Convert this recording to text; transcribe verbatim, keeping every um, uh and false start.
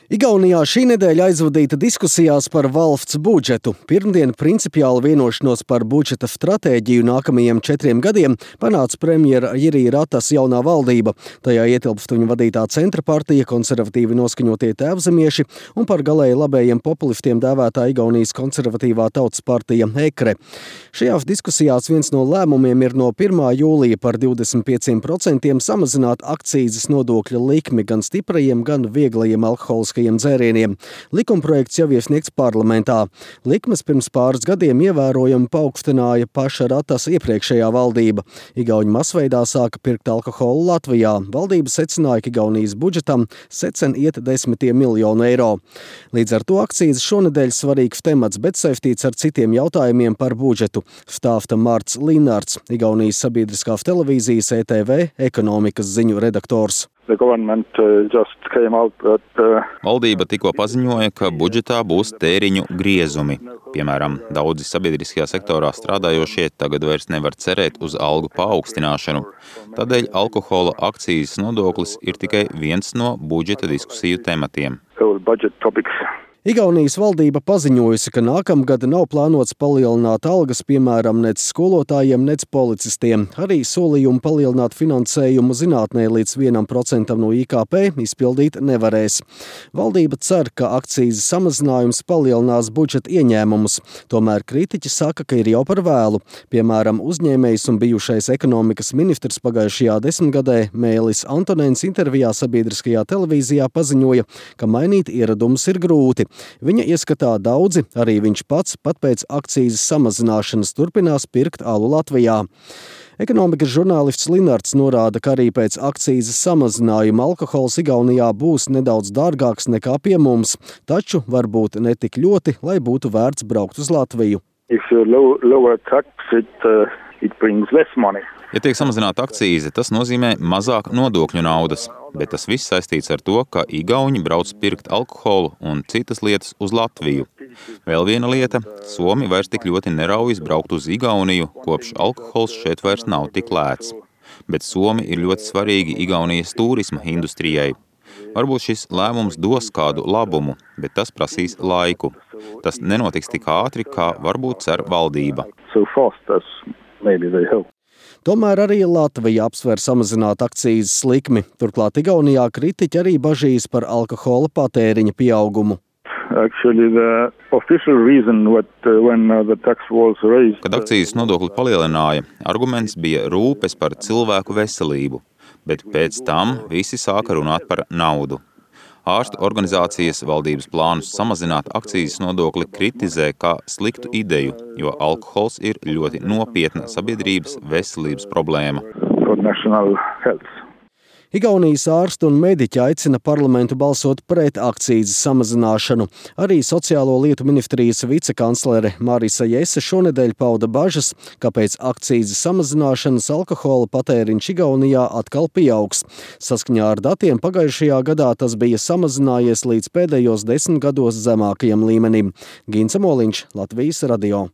Igaunijā šī nedēļa aizvadīta diskusijās par valsts budžetu. Pirmdien principiāli vienošanos par budžeta stratēģiju nākamajiem četriem gadiem panāca premjera Jiri Ratas jaunā valdība. Tajā ietilpst viņa vadītā centra partija, konservatīvi noskaņotie tēvzemieši un par galēji labējiem populistiem dēvētā Igaunijas konservatīvā tautas partija Ekre. Šajās diskusijās viens no lēmumiem ir no pirmā jūlija par divdesmit pieciem procentiem samazināt akcīzes nodokļa likmi gan stiprajiem, gan vieglajiem alkoholiskajiem dzērieniem. Likumprojekts jau iesniegts parlamentā. Likmes pirms pāris gadiem ievērojami paaugstināja paša Ratas iepriekšējā valdība. Igauņi masveidā sāka pirkt alkoholu Latvijā. Valdība secināja, ka Igaunijas budžetam secen iet desmitiem miljonu eiro. Līdz ar to akcīzes šonedēļ svarīgs temats, bet saistīts ar citiem jautājumiem par budžetu. Stāsta Marts Linārds, Igaunijas sabiedriskās televīzijas E T V ekonomikas ziņu redaktors. That, uh... Valdība tikko paziņoja, ka budžetā būs tēriņu griezumi. Piemēram, daudzi sabiedriskajā sektorā strādājošie tagad vairs nevar cerēt uz algu paaugstināšanu. Tādēļ alkohola akcīzes nodoklis ir tikai viens no budžeta diskusiju tematiem. Igaunijas valdība paziņojusi, ka nākamgad nav plānots palielināt algas, piemēram, nec skolotājiem, nec policistiem. Arī solījumu palielināt finansējumu zinātnē līdz vienam procentam no I K P izpildīt nevarēs. Valdība cer, ka akcīzes samazinājums palielinās budžeta ieņēmumus. Tomēr kritiķi saka, ka ir jau par vēlu. Piemēram, uzņēmējs un bijušais ekonomikas ministrs pagājušajā desmitgadē Mēlis Antonēns intervijā sabiedriskajā televīzijā paziņoja, ka mainīt ieradumus ir grūti. Viņa ieskatā daudzi, arī viņš pats, pat pēc akcīzes samazināšanas turpinās pirkt alu Latvijā. Ekonomikas žurnālists Linārds norāda, ka arī pēc akcīzes samazinājuma alkohols Igaunijā būs nedaudz dārgāks nekā pie mums, taču varbūt ne tik ļoti, lai būtu vērts braukt uz Latviju. Low, lower tax, it, uh, it brings less money. Ja tiek samazināta akcīze, tas nozīmē mazāk nodokļu naudas, bet tas viss saistīts ar to, ka igauņi brauc pirkt alkoholu un citas lietas uz Latviju. Vēl viena lieta – Somi vairs tik ļoti neraujas braukt uz Igauniju, kopš alkohols šeit vairs nav tik lēts. Bet Somi ir ļoti svarīgi Igaunijas turisma industrijai. Varbūt šis lēmums dos kādu labumu, bet tas prasīs laiku. Tas nenotiks tik ātri, kā varbūt cer valdība. So fast as maybe they hope. Tomēr arī Latvija apsver samazināt akcīzes likmi. Turklāt Igaunijā kritiķi arī bažīs par alkohola patēriņa pieaugumu. Actually, the official reason what, uh, when uh, the tax was raised... Kad akcīzes nodokli palielināja, arguments bija rūpes par cilvēku veselību, bet pēc tam visi sāka runāt par naudu. Ārstu organizācijas valdības plānus samazināt akcīzes nodokli kritizē kā sliktu ideju, jo alkohols ir ļoti nopietna sabiedrības veselības problēma. Igaunijas ārsti un mediķi aicina parlamentu balsot pret akcīzes samazināšanu. Arī sociālo lietu ministrijas vicekanclere Marisa Jese šonedēļ pauda bažas, ka pēc akcīzes samazināšanas alkohola patēriņš Igaunijā atkal pieaugs. Saskaņā ar datiem pagājušajā gadā tas bija samazinājies līdz pēdējos desmit gados zemākajam līmenim. Gints Moliņš, Latvijas radio.